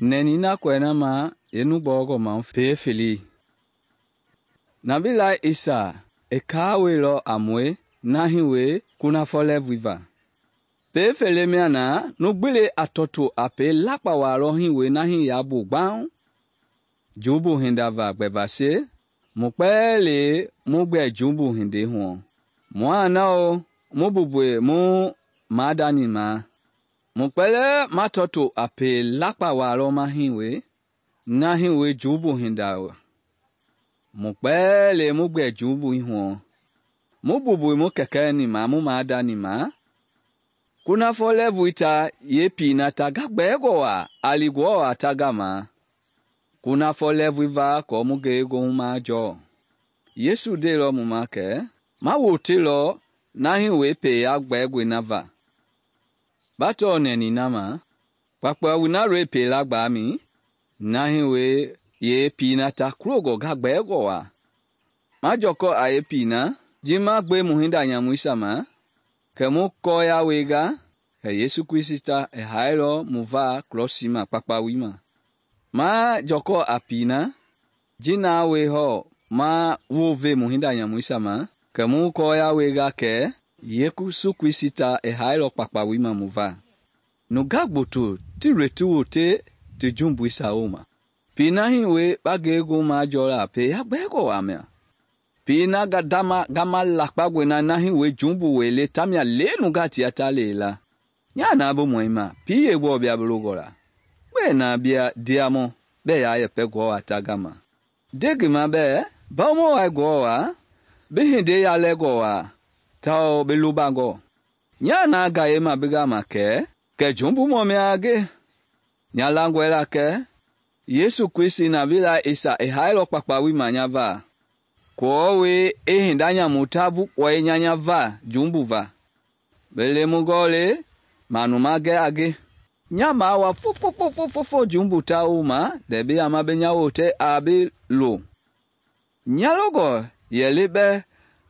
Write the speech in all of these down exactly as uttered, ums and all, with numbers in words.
nɛni na kɔɛ na ma yenu gbɔɔgɔ ma pee fele. Nabi lai Isa i kaawelɔ a mue nahi we kunafɔ lɛɛvui va. Pee fele mia na nu gbile a tɔto a pee lakpa walɔ hiwoi nahi ya bu gbau. Jumbu hinda va gbɛvase, mu kpɛle mu gbɛ jumbu hindei hu. Mua nao mu bubue mu maadani ma. Mu kpɛlɛ ma tɔto a pee lakpa walɔ ma hiwoi, na hiwoi jumbu hinda. Mu kpɛle mu gbɛ jumbu hu. Mu bubue mu kɛkɛni ma mu maadani ma. Kunafɔ lɛɛvui ta ye pina ta ga gbɛɛgɔ wa a li Ngewɔ a ta gama. Kunafɔ lɛɛvui va kɔ mu ngeegohu majɔ. Yesu ndeilɔ mu ma kɛ ma wotelɔ na hiwoi peya gbɛɛgɔe na va. Ba tɔɔ nɛni na ma, kpakpawui na loi pela gbami, na hiwoi ye pina ta kulogɔ ga gbɛɛgɔ wa. Ma jɔkɔ a ye pina, ji ma gbe mu hinda nyamuisia ma, kɛ mu kɔɔya wenga, kɛ Yesu Kristi i hailɔ mu va krɔsi ma kpakpawui ma. Ma jɔkɔ a pina, ji na we hɔ ma wove mu hinda nyamuisia ma, kɛ mu kɔɔya wenga kɛ Yesu Kristi i hailɔ kpakpawui ma mu va. Nunga gboto ti loi ti wote ti jumbuisia woma. Pina hiwoi ba ngeego majɔla peya gbɛɛgɔ wa mia. Pina ga dama gama lakpagɔe na na hiwoi jumbu wele tamia le nunga tia ta lela. Nya na bo mɔima, pi ye gbɔ bia belogɔ la. Gbe na bia diamɔ bɛ ya yɛpɛ Ngewɔ a ta gama. Degi ma bɛ, bawomɔ wa Ngewɔ wa, bi hinde ya lɛgɔ wa, tao bi lobangɔ. Nya na ga ye ma bi gama kɛ, kɛ jumbu mɔ mia ge. Nya langɔe la kɛ, Yesu Kristi Nabi lai Isa i hailɔ kpakpawui ma nya va. Kɔɔwe e hinda nyamu ta bu kpɔe nyanya va jumbu va. Bele mu gɔle, manu ma gɛ a ge. Nya ma wa fo fo fo fo fo fo jumbu ta uma, debi ama be nya wote a bi lo. Nya logɔ yɛle bɛ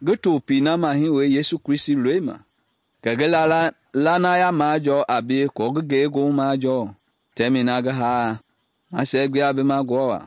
ge to pina ma hiwoi Yesu Kristi loi ma. Kɛ ge la la lana ya majɔ a bi kɔ ge geego majɔ. Tɛmi na ge haa, ma sɛ gbia bi ma Ngewɔ wa.